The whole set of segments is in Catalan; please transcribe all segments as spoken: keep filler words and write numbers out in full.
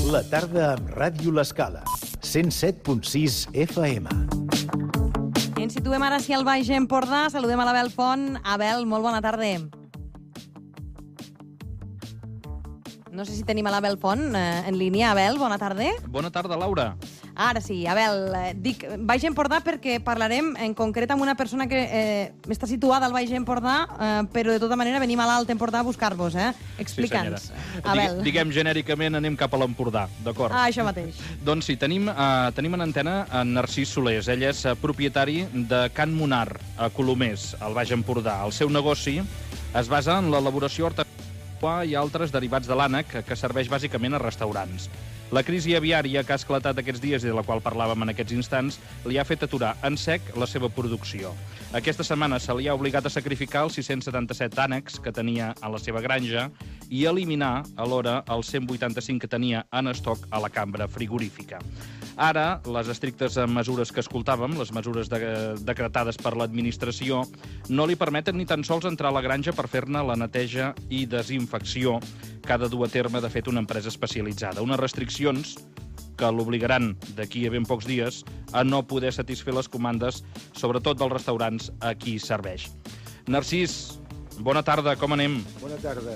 La tarda amb Ràdio L'Escala, cent set punt sis F M. Ens situem ara sí al Baix Empordà. Saludem a l'Abel Font. Abel, molt bona tarda. No sé si tenim a l'Abel Font eh, en línia. Abel, bona tarda. Bona tarda, Laura. Ara sí, Abel, eh, dic Baix Empordà perquè parlarem en concret amb una persona que eh, està situada al Baix Empordà, eh, però de tota manera venim a l'Alt Empordà a buscar-vos, eh? Explica'ns, sí, Abel. Digue, diguem genèricament, anem cap a l'Empordà, d'acord? Ah, això mateix. Doncs sí, tenim, eh, tenim en antena en Narcís Solés. Ell és eh, propietari de Can Monar, a Colomers, al Baix Empordà. El seu negoci es basa en l'elaboració artesanal i altres derivats de l'ànec, que serveix bàsicament a restaurants. La crisi aviària que ha esclatat aquests dies i de la qual parlàvem en aquests instants li ha fet aturar en sec la seva producció. Aquesta setmana se li ha obligat a sacrificar els sis-cents setanta-set ànecs que tenia a la seva granja i eliminar alhora els cent vuitanta-cinc que tenia en estoc a la cambra frigorífica. Ara, les estrictes mesures que escoltàvem, les mesures de, decretades per l'administració, no li permeten ni tan sols entrar a la granja per fer-ne la neteja i desinfecció que ha de dur a terme, de fet, una empresa especialitzada. Unes restriccions que l'obligaran d'aquí a ben pocs dies a no poder satisfer les comandes, sobretot dels restaurants a qui serveix. Narcís, bona tarda, com anem? Bona tarda.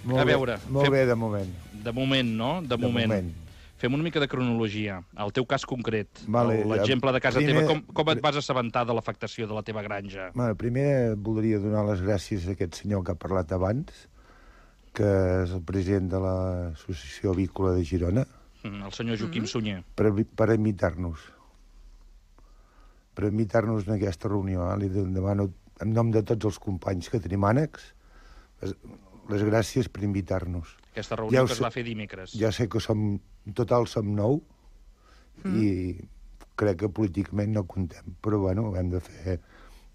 Molt a veure, bé, molt fem... bé, de moment. De moment, no? De, de moment. moment. Fem una mica de cronologia. El teu cas concret, vale, l'exemple de casa primer, teva, com, com et vas assabentar de l'afectació de la teva granja? Bueno, primer voldria donar les gràcies a aquest senyor que ha parlat abans, que és el president de l'Associació Avícola de Girona. Mm, el senyor Joaquim mm-hmm. Sunyer. Per, per invitar-nos. Per invitar-nos en aquesta reunió. Eh? Li demano, en nom de tots els companys que tenim ànecs, les gràcies per invitar-nos. Aquesta reunió ja que es sé, va fer dimecres. Ja sé que som, en total som nou, mm. i crec que políticament no contem, però bueno, hem de fer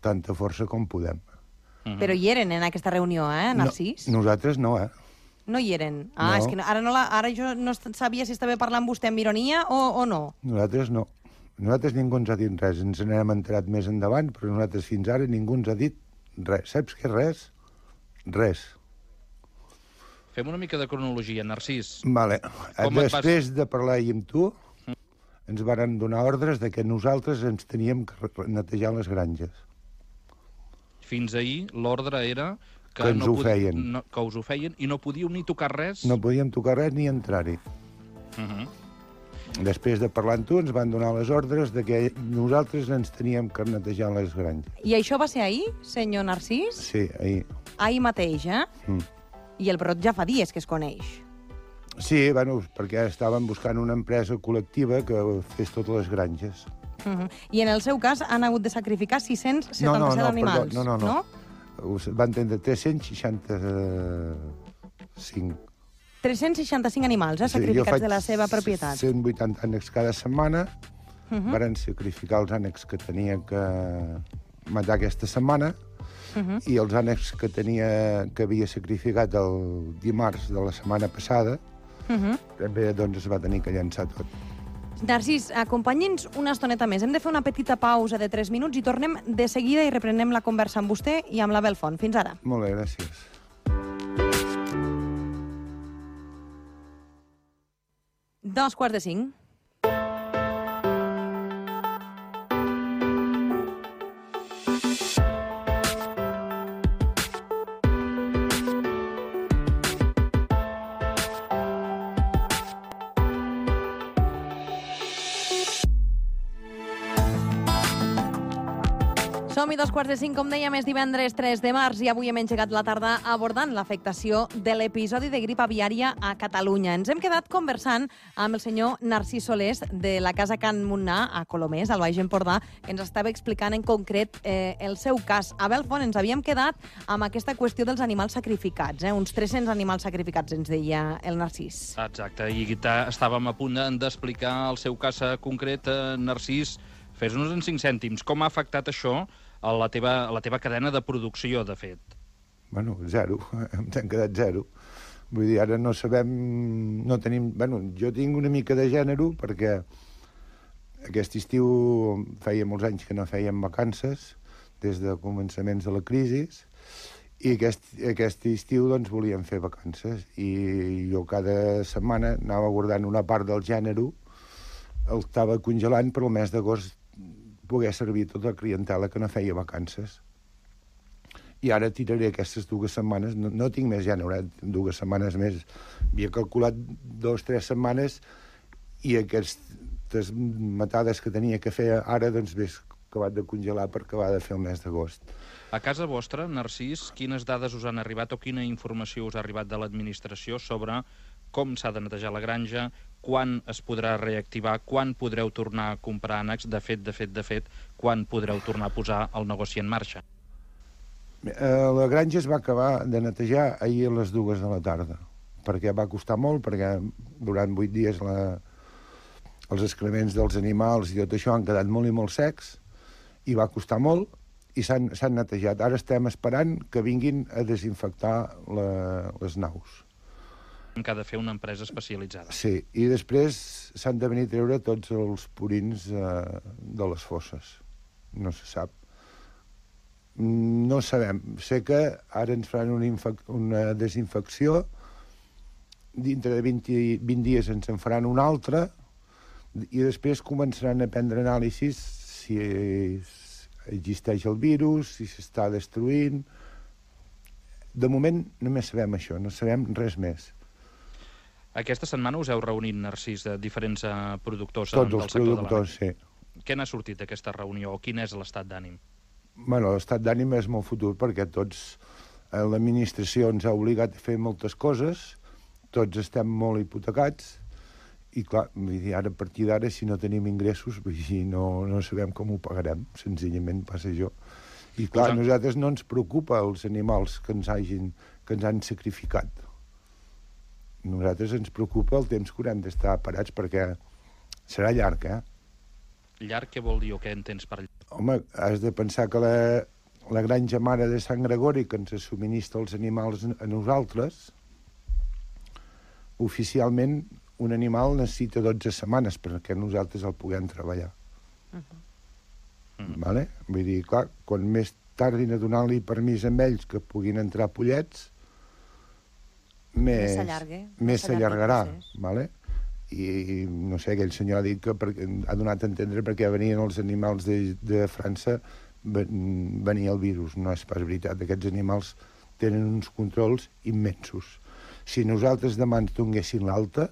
tanta força com podem. Mm-hmm. Però hi eren en aquesta reunió, eh, Narcís? No, nosaltres no, eh? No hi eren? Ah, no. És que no, ara, no la, ara jo no sabia si estava parlant vostè amb ironia o, o no. Nosaltres no. Nosaltres ningú ens ha dit res. Ens n'hem enterat més endavant, però nosaltres fins ara ningú ens ha dit res. Saps què res? Res. Fem una mica de cronologia, Narcís. Vale. Com Després vas... de parlar amb tu, mm. ens varen donar ordres de que nosaltres ens teníem que netejar les granges. Fins ahir l'ordre era que, que ens no ho feien. No, que us ho feien i no podíeu ni tocar res? No podíem tocar res ni entrar-hi. Uh -huh. Després de parlar amb tu, ens van donar les ordres de que nosaltres ens teníem que netejar les granges. I això va ser ahir, senyor Narcís? Sí, ahir. Ahir mateix, eh? Mm. I el brot ja fa dies que es coneix. Sí, bueno, perquè estàvem buscant una empresa col·lectiva que fes totes les granges. Uh -huh. I en el seu cas han hagut de sacrificar sis-cents setanta-set no, no, no, animals, perdó, no? No, no, no. Van tindre tres-cents seixanta-cinc. tres-cents seixanta-cinc animals, eh, sacrificats sí, de la seva propietat. cent vuitanta ànecs cada setmana. Uh -huh. Varen sacrificar els ànecs que tenia que matar aquesta setmana. Uh -huh. I els ànecs que tenia que havia sacrificat el dimarts de la setmana passada, uh -huh. també doncs, es va tenir que llançar tot. Narcís, acompanyi'ns una estoneta més. Hem de fer una petita pausa de tres minuts i tornem de seguida i reprenem la conversa amb vostè i amb l'Abel Font. Fins ara. Molt bé, gràcies. Dos quarts de cinc. Som-hi, dos quarts de cinc, com dèiem, és divendres tres de març i avui hem engegat la tarda abordant l'afectació de l'episodi de grip aviària a Catalunya. Ens hem quedat conversant amb el senyor Narcís Solés de la Casa Can Monar a Colomers, al Baix Empordà, que ens estava explicant en concret eh, el seu cas. Abel Font, ens havíem quedat amb aquesta qüestió dels animals sacrificats, eh? Uns tres-cents animals sacrificats, ens deia el Narcís. Exacte, i estàvem a punt d'explicar el seu cas concret, eh, Narcís. Fes-nos en cinc cèntims. Com ha afectat això a la teva, a la teva cadena de producció, de fet? Bueno, zero. Ens hem quedat zero. Vull dir, ara no sabem... No tenim... Bueno, jo tinc una mica de gènere perquè aquest estiu feia molts anys que no fèiem vacances, des de començaments de la crisi, I aquest, aquest estiu doncs, volíem fer vacances i jo cada setmana anava guardant una part del gènere, el estava congelant per al mes d'agost poder servir tota la clientela que no feia vacances. I ara tiraré aquestes dues setmanes, no, no tinc més gènere, eh? dues setmanes més. Havia calculat dues, tres setmanes i aquestes matades que tenia que fer ara, doncs bé, acabat de congelar per acabar de fer el mes d'agost. A casa vostra, Narcís, quines dades us han arribat o quina informació us ha arribat de l'administració sobre com s'ha de netejar la granja, quan es podrà reactivar, quan podreu tornar a comprar ànecs, de fet, de fet, de fet, quan podreu tornar a posar el negoci en marxa? La granja es va acabar de netejar ahir a les dues de la tarda, perquè va costar molt, perquè durant vuit dies la, els excrements dels animals i tot això han quedat molt i molt secs, i va costar molt, i s'han netejat. Ara estem esperant que vinguin a desinfectar la, les naus. Que ha de fer una empresa especialitzada. Sí, i després s'han de venir a treure tots els purins eh, de les fosses. No se sap. No sabem. Sé que ara ens faran una, una desinfecció, dintre de vint, vint dies ens en faran una altra, i després començaran a prendre anàlisis si existeix el virus, si s'està destruint. De moment només sabem això, no sabem res més. Aquesta setmana us heu reunit, Narcís, de diferents uh, productors Tots del els sector productors, de l'ànec. Sí. Què n'ha sortit d'aquesta reunió o quin és l'estat d'ànim? Bueno, l'estat d'ànim és molt futur perquè tots, eh, l'administració ens ha obligat a fer moltes coses, tots estem molt hipotecats, i clar, ara a partir d'ara, si no tenim ingressos, no, no sabem com ho pagarem, senzillament passa això. I clar, a nosaltres no ens preocupa els animals que ens, hagin, que ens han sacrificat. A nosaltres ens preocupa el temps que haurem d'estar parats, perquè serà llarg, eh? Llarg, què vol dir o què entens per llarg? Home, has de pensar que la, la granja mare de Sant Gregori, que ens subministra els animals a nosaltres, oficialment un animal necessita dotze setmanes perquè nosaltres el puguem treballar. Uh-huh. Uh-huh. Vale? Vull dir, clar, quan més tardin a donar-li permís a ells que puguin entrar pollets, més s'allargarà. Vale? I no sé, aquell senyor ha dit que per, ha donat a entendre perquè venien els animals de, de França, venia el virus. No és pas veritat. Aquests animals tenen uns controls immensos. Si nosaltres demà ens donguessin l'alta,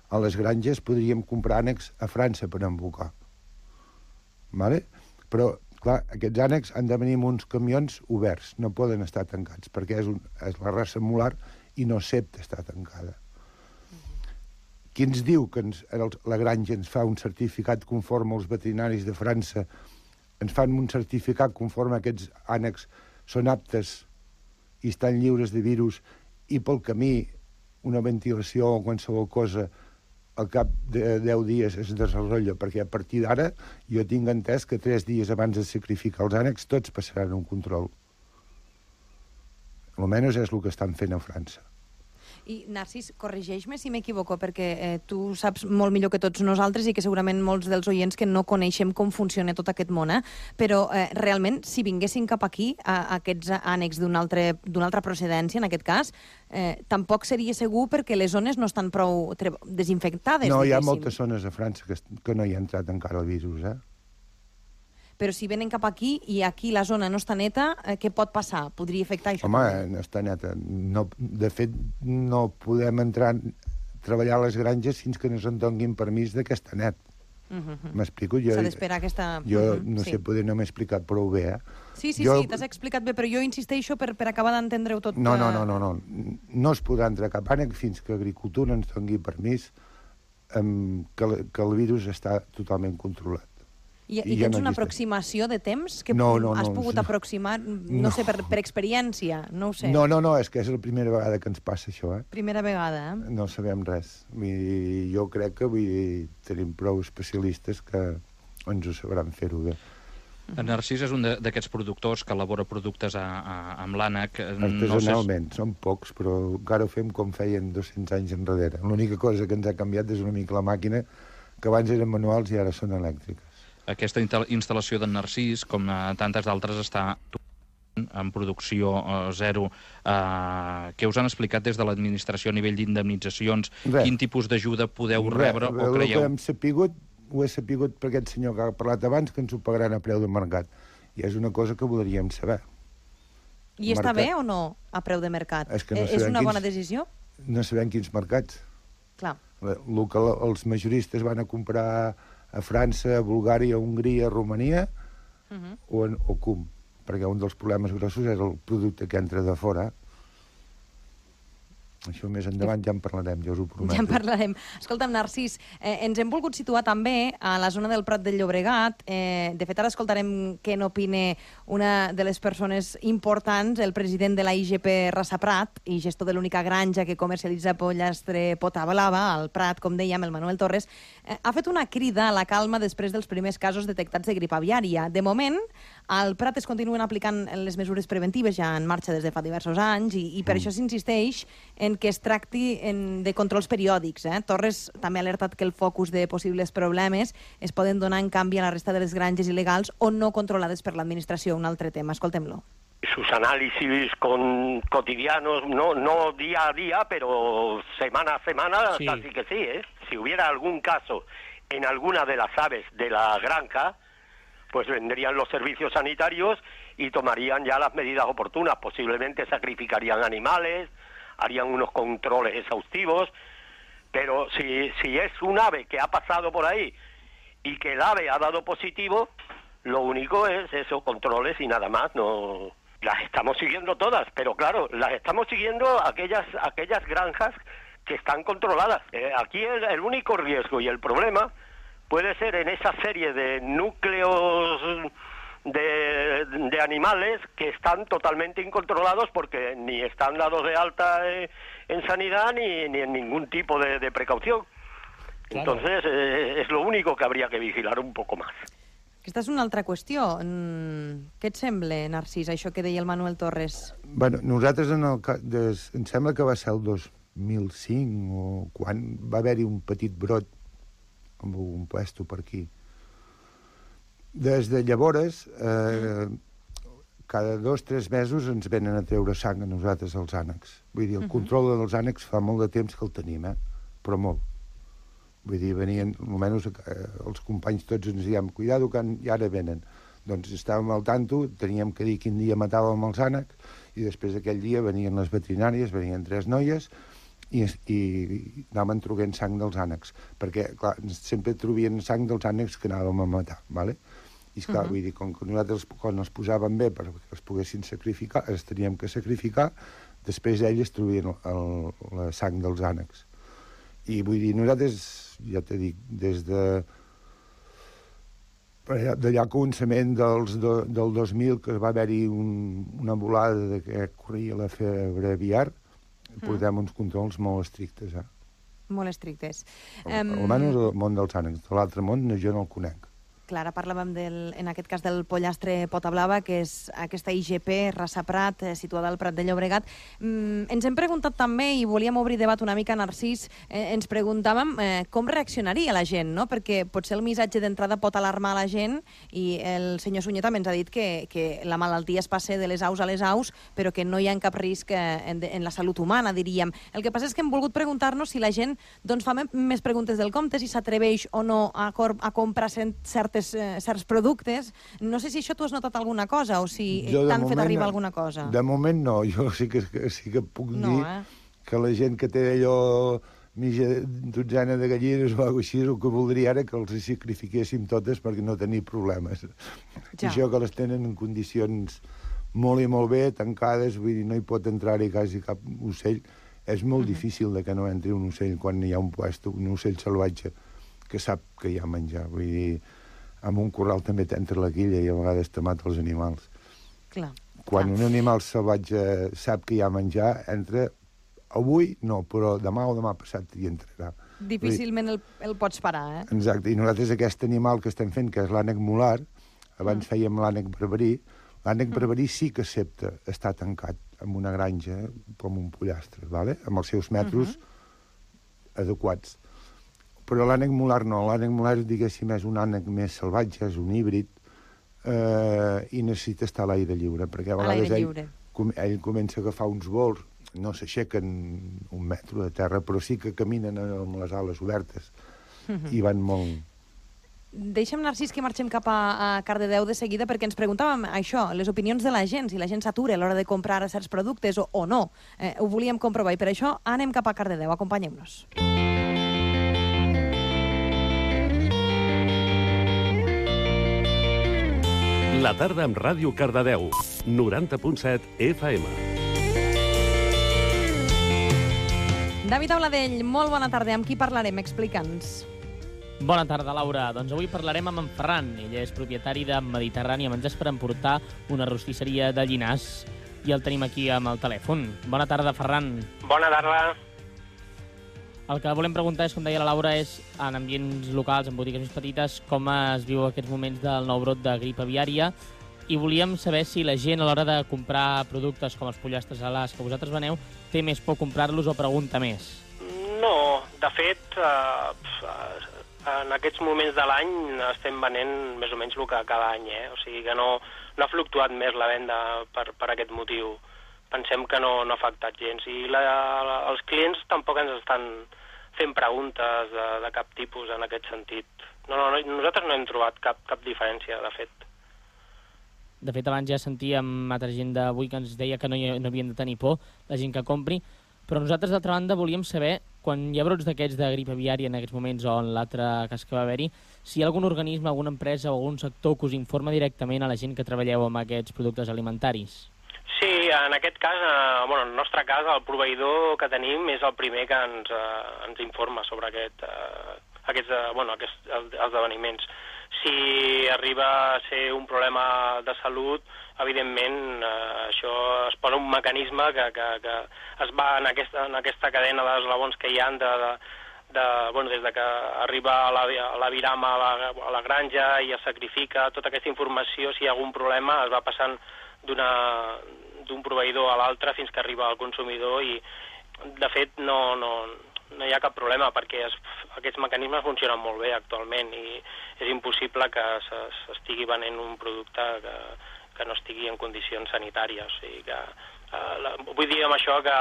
a les granges podríem comprar ànecs a França per embocar. Vale? Però, clar, aquests ànecs han de venir amb uns camions oberts, no poden estar tancats, perquè és, un, és la raça molar i no accepta estar tancada. Qui ens diu que ens, la granja ens fa un certificat conforme als veterinaris de França, ens fan un certificat conforme aquests ànecs són aptes i estan lliures de virus, i pel camí una ventilació o qualsevol cosa al cap de deu dies es desenrotlla, perquè a partir d'ara jo tinc entès que tres dies abans de sacrificar els ànecs tots passaran un control. Almenys és el que estan fent a França. I, Narcís, corregeix-me si m'equivoco, perquè eh, tu saps molt millor que tots nosaltres i que segurament molts dels oients que no coneixem com funciona tot aquest món, eh? Però eh, realment, si vinguessin cap aquí, a, a aquests ànecs d'una altra, d'una altra procedència, en aquest cas, eh, tampoc seria segur perquè les zones no estan prou desinfectades. No, hi ha moltes zones a França que, que no hi ha entrat encara el virus, eh? Però si venen cap aquí i aquí la zona no està neta, eh, què pot passar? Podria afectar això? Home, no està neta. No, de fet, no podem entrar a treballar a les granges fins que no se'n donguin permís de que està net. M'explico? Uh-huh. S'ha d'esperar aquesta... Jo uh-huh. no sé, sí. Poder no m'he explicat prou bé, eh? Sí, sí, jo... sí, t'has explicat bé, però jo insisteixo per, per acabar d'entendre-ho tot. No, no, no, no, no. No es podrà entrar cap ànec fins que Agricultura ens doni permís um, que, que el virus està totalment controlat. I, i, i tens ja no una aproximació de temps que no, no, has no, pogut no. aproximar, no, no. sé, per, per experiència, no ho sé. No, no, no, és que és la primera vegada que ens passa això, eh? Primera vegada, eh? No sabem res. Vull dir, jo crec que vull dir, tenim prou especialistes que ens ho sabran fer-ho bé. En Narcís és un d'aquests productors que elabora productes a, a, amb l'ànec. Artesanalment, no sé... són pocs, però encara ho fem com feien dos-cents anys enrere. L'única cosa que ens ha canviat és una mica la màquina, que abans eren manuals i ara són elèctriques. Aquesta instal·lació d'en Narcís, com tantes d'altres, està en producció eh, zero, eh, què us han explicat des de l'administració a nivell d'indemnitzacions? Quin tipus d'ajuda podeu rebre o creieu? El que hem sapigut, ho he sapigut per aquest senyor que ha parlat abans, que ens ho pagaran a preu de mercat. I és una cosa que voldríem saber. I està bé o no a preu de mercat? És, que no és una quins, bona decisió? No sabem quins mercats. Clar. El que els majoristes van a comprar a França, a Bulgària, a Hongria, a Romania, uh -huh. o, en, o cum, perquè un dels problemes grossos és el producte que entra de fora. Això més endavant ja en parlarem, jo us ho prometo. Ja en parlarem. Escolta'm, Narcís, eh, ens hem volgut situar també a la zona del Prat del Llobregat. Eh, de fet, ara escoltarem què n'opina una de les persones importants, el president de la I G P Rassa Prat i gestor de l'única granja que comercialitza pollastre pota blava, al Prat, com dèiem, el Manuel Torres, eh, ha fet una crida a la calma després dels primers casos detectats de grip aviària. De moment, al Prat es continuen aplicant les mesures preventives ja en marxa des de fa diversos anys i, i per mm. això s'insisteix en que es tracti en, de controls periòdics. Eh? Torres també ha alertat que el focus de possibles problemes es poden donar en canvi a la resta de les granges il·legals o no controlades per l'administració. Un altre tema, escoltem-lo. Sus análisis con, cotidianos, no, no día a día, pero semana a semana, sí. Casi que sí. ¿eh? Si hubiera algún caso en alguna de las aves de la granja, pues vendrían los servicios sanitarios y tomarían ya las medidas oportunas. Posiblemente sacrificarían animales, harían unos controles exhaustivos, pero si, si es un ave que ha pasado por ahí y que el ave ha dado positivo, lo único es esos controles y nada más. No las estamos siguiendo todas, pero claro, las estamos siguiendo aquellas, aquellas granjas que están controladas. Eh, aquí el, el único riesgo y el problema puede ser en esa serie de núcleos De, de animales que están totalmente incontrolados porque ni están dados de alta eh, en sanidad ni, ni en ningún tipo de, de precaución. Claro. Entonces eh, es lo único que habría que vigilar un poco más. Aquesta és una altra qüestió. Què et sembla, Narcís, això que deia el Manuel Torres? Bueno, nosaltres, en el, des, em sembla que va ser el dos mil cinc, o quan va haver-hi un petit brot amb un puesto per aquí. Des de llavors, eh, cada dos o tres mesos ens venen a treure sang a nosaltres als ànecs. Vull dir, el control dels ànecs fa molt de temps que el tenim, eh? Però molt. Vull dir, venien, almenys eh, els companys tots ens diem, cuidado que i ara venen. Doncs estàvem al tanto, teníem que dir quin dia matàvem els ànecs, i després d'aquell dia venien les veterinàries, venien tres noies, i, i, i anaven trobant sang dels ànecs. Perquè, clar, sempre trobien sang dels ànecs que anàvem a matar, ¿vale? I, esclar, uh -huh. vull dir, com que nosaltres, quan els posàvem bé perquè els poguessin sacrificar, els teníem que sacrificar, després ells trobien el, la sang dels ànecs. I vull dir, nosaltres, ja t'he dit, des de d'allà al començament dels, de, del dos mil, que va haver-hi un, una volada de que corria la febre aviar, uh -huh. portem uns controls molt estrictes, eh? Molt estrictes. Almenys el món dels ànecs. De l'altre món jo no el conec. Clar, ara parlàvem, del, en aquest cas, del pollastre pota blava, que és aquesta I G P, Rassa Prat, eh, situada al Prat de Llobregat. Mm, ens hem preguntat també, i volíem obrir debat una mica, Narcís, eh, ens preguntàvem eh, com reaccionaria la gent, no? Perquè potser el missatge d'entrada pot alarmar la gent, i el senyor Sunyer també ens ha dit que, que la malaltia es passa de les aus a les aus, però que no hi ha cap risc eh, en, en la salut humana, diríem. El que passa és que hem volgut preguntar-nos si la gent doncs, fa més preguntes del compte, si s'atreveix o no a, a comprar certes Eh, certs productes. No sé si això tu has notat alguna cosa o si t'han fet arribar alguna cosa. De moment no. Jo sí que, sí que puc no, dir eh? que la gent que té allò mitja dotzena de gallines o alguna cosa així, el que voldria ara que els sacrifiquéssim totes perquè no tenir problemes. Ja. I això que les tenen en condicions molt i molt bé, tancades, vull dir, no hi pot entrar-hi quasi cap ocell. És molt uh-huh. difícil de que no entri un ocell quan hi ha un puesto, un ocell salvatge que sap que hi ha menjar. Vull dir, amb un corral també t'entra la quilla i a vegades te mata els animals. Clar. Quan clar. un animal salvatge sap que hi ha menjar, entra avui, no, però demà o demà passat hi entrarà. Difícilment el, el pots parar, eh? Exacte, i nosaltres aquest animal que estem fent, que és l'ànec molar, abans mm. fèiem l'ànec barbarí, l'ànec mm. barbarí sí que accepta estar tancat en una granja, com un pollastre, ¿vale? Amb els seus metros mm-hmm. adequats. Però l'ànec molar no, l'ànec molar, diguéssim, és un ànec més salvatge, és un híbrid, eh, i necessita estar a l'aire lliure, perquè a vegades l'aire ell, lliure. com, ell comença a agafar uns vols, no s'aixequen un metro de terra, però sí que caminen amb les ales obertes Mhm. i van molt... Deixa'm, Narcís, que marxem cap a, a Cardedeu de seguida, perquè ens preguntàvem això, les opinions de la gent, si la gent s'atura a l'hora de comprar certs productes o, o no. Eh, ho volíem comprovar i per això anem cap a Cardedeu. Acompanyem-nos. La tarda amb Ràdio Cardedeu, noranta punt set F M. David Auladell, molt bona tarda. Amb qui parlarem? Explica'ns. Bona tarda, Laura. Doncs avui parlarem amb en Ferran. Ell és propietari de Mediterrani, amb menjars per emportar, una rostisseria de Llinars. I el tenim aquí amb el telèfon. Bona tarda, Ferran. Bona tarda. El que volem preguntar és, com deia la Laura, és en ambients locals, en botigues més petites, com es viu aquests moments del nou brot de grip aviària, i volíem saber si la gent a l'hora de comprar productes com els pollastres alars que vosaltres veneu té més por comprar-los o pregunta més. No, de fet, eh, en aquests moments de l'any estem venent més o menys el que cada any, eh? O sigui que no, no ha fluctuat més la venda per, per aquest motiu. Pensem que no, no ha afectat gens. I la, la, els clients tampoc ens estan fent preguntes de, de cap tipus en aquest sentit. No, no, no, nosaltres no hem trobat cap, cap diferència, de fet. De fet, abans ja sentíem altra gent d'avui que ens deia que no, hi, no havien de tenir por, la gent que compri, però nosaltres, d'altra banda, volíem saber, quan hi ha brots d'aquests de grip aviària en aquests moments o en l'altre cas que va haver-hi, si hi ha algun organisme, alguna empresa o algun sector que us informa directament a la gent que treballeu amb aquests productes alimentaris. Sí, en aquest cas, eh, bueno, en el nostre cas, el proveïdor que tenim és el primer que ens, eh, ens informa sobre aquest, eh, aquests, eh, bueno, aquests esdeveniments. Si arriba a ser un problema de salut, evidentment eh, això es posa un mecanisme que, que, que es va en aquesta, en aquesta cadena d'eslabons que hi ha de, de, de, bueno, des de que arriba a la, a la virama a la, a la granja i es sacrifica, tota aquesta informació, si hi ha algun problema, es va passant d'un proveïdor a l'altre fins que arriba al consumidor i, de fet, no, no, no hi ha cap problema perquè es, aquests mecanismes funcionen molt bé actualment i és impossible que s'estigui venent un producte que, que no estigui en condicions sanitàries. O sigui que, eh, la, vull dir amb això que,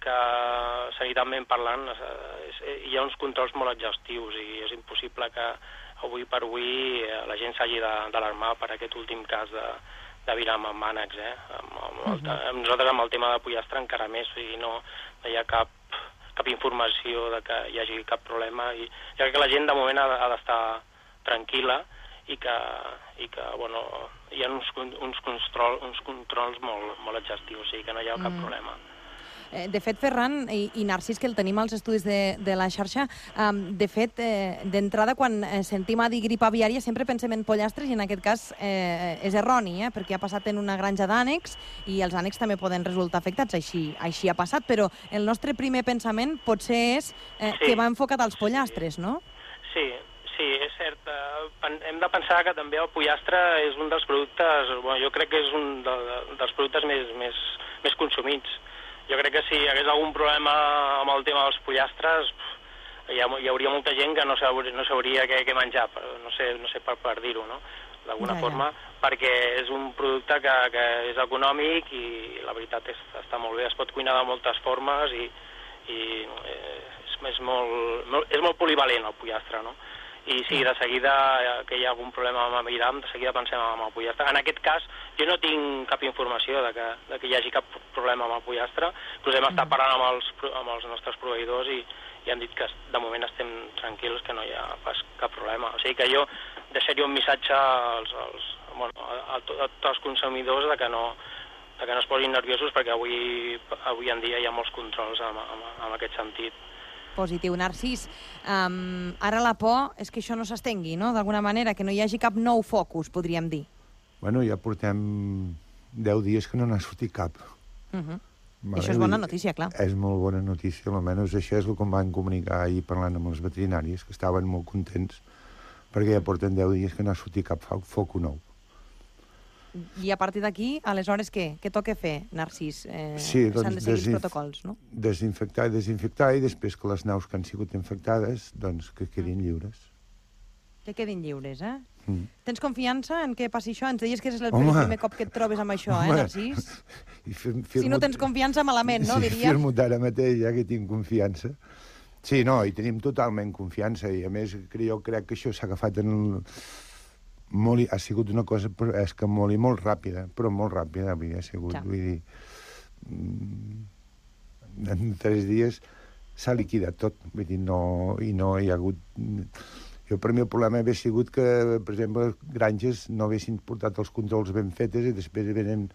que sanitàriament parlant és, hi ha uns controls molt exhaustius i és impossible que avui per avui la gent s'hagi d'alarmar per aquest últim cas de de virama amb ànecs, eh? Amb, amb el, amb nosaltres amb el tema de pollastre encara més, o sigui, no, no hi ha cap, cap informació de que hi hagi cap problema i jo crec que la gent de moment ha, ha d'estar tranquil·la i que, i que bueno, hi ha uns, uns, control, uns controls molt, molt exhaustius, o sigui que no hi ha cap mm. problema. De fet, Ferran i, i Narcís, que el tenim als estudis de, de la xarxa, um, de fet, eh, d'entrada, quan eh, sentim a dir grip aviària, sempre pensem en pollastres, i en aquest cas eh, és erroni, eh, perquè ha passat en una granja d'ànecs, i els ànecs també poden resultar afectats, així, així ha passat, però el nostre primer pensament potser és eh, sí. que va enfocat als pollastres, no? Sí, sí, és cert. Uh, hem de pensar que també el pollastre és un dels productes, bueno, jo crec que és un de, dels productes més, més, més consumits. Jo crec que si hi hagués algun problema amb el tema dels pollastres, hi, ha, hi hauria molta gent que no sabria, no sabria què, què menjar, no sé, no sé per, per dir-ho, no? D'alguna ja, ja. forma, perquè és un producte que, que és econòmic i la veritat és, està molt bé, es pot cuinar de moltes formes i, i és, és, molt, molt, és molt polivalent el pollastre, no? I sí, de seguida que hi ha algun problema amb el viram, de seguida pensem en el pollastre. En aquest cas, jo no tinc cap informació de que, de que hi hagi cap problema amb el pollastre. Inclús hem estat parlant amb els, amb els nostres proveïdors i, i han dit que de moment estem tranquils, que no hi ha pas cap problema. O sigui que jo deixaria un missatge als, als, bueno, a, a, a tots els consumidors de que no, de que no es posin nerviosos perquè avui, avui en dia hi ha molts controls en, en, en aquest sentit. Positiu. Narcís, um, ara la por és que això no s'estengui, no?, d'alguna manera, que no hi hagi cap nou focus, podríem dir. Bueno, ja portem deu dies que no n'ha sortit cap. Uh -huh. Vale, això és bona notícia, clar. És molt bona notícia, almenys això és el que em van comunicar ahir parlant amb els veterinaris, que estaven molt contents, perquè ja porten deu dies que no ha sortit cap foc nou. I a partir d'aquí, aleshores, què? Què toca fer, Narcís? Eh, sí, doncs s'han de seguir els protocols, no? Desinfectar i desinfectar, i després que les naus que han sigut infectades, doncs que quedin lliures. Que quedin lliures, eh? Mm. Tens confiança en què passi això? Ens deies que és el Home. primer cop que et trobes amb això, eh, Home. Narcís? I fir Si no tens confiança, malament, no, sí, diria? firmo ara mateix, ja que tinc confiança. Sí, no, i tenim totalment confiança, i a més jo crec que això s'ha agafat en... El... Molt, i- ha sigut una cosa, però és que molt i molt ràpida, però molt ràpida, vull dir, ha sigut, Ja. vull dir... mm, En tres dies s'ha liquidat tot, vull dir, no, i no hi ha hagut... Jo, per mi, el problema hauria sigut que, per exemple, granges no haguessin portat els controls ben fetes i després venen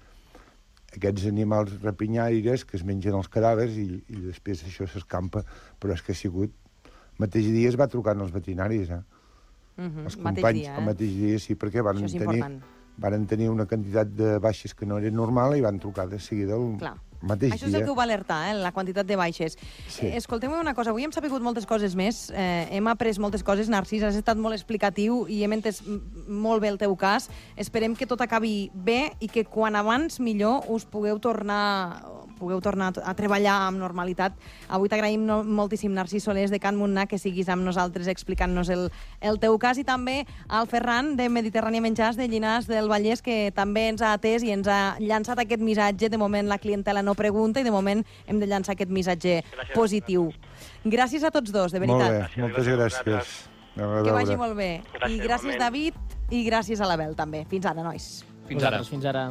aquests animals rapinyaires que es mengen els cadàvers i, i després això s'escampa. Però és que ha sigut... El mateix dia es va trucar als veterinaris, eh? Mhm, Els mateix companys, dia, el eh? mateix dia, sí, perquè van Això és tenir, important. van tenir una quantitat de baixes que no era normal i van trucar de seguida el Clar. mateix Això és dia. el que ho va alertar, eh, la quantitat de baixes. Sí. Eh, Escolteu-me una cosa, avui hem sapigut moltes coses més, eh, hem après moltes coses, Narcís, has estat molt explicatiu i hem entès m- molt bé el teu cas. Esperem que tot acabi bé i que quan abans millor us pugueu tornar pugueu tornar a treballar amb normalitat. Avui t'agraïm no, moltíssim, Narcís Solés, de Can Muntnar, que siguis amb nosaltres explicant-nos el, el teu cas, i també al Ferran, de Mediterrània Menjars, de Llinars del Vallès, que també ens ha atès i ens ha llançat aquest missatge. De moment la clientela no pregunta i de moment hem de llançar aquest missatge Gràcies. positiu. Gràcies a tots dos, de Molt veritat. bé, moltes gràcies. A Que vagi veure. molt bé. Gràcies, I gràcies, igualment. David, i gràcies a l'Abel, també. Fins ara, nois. Fins ara. Vosaltres, fins ara.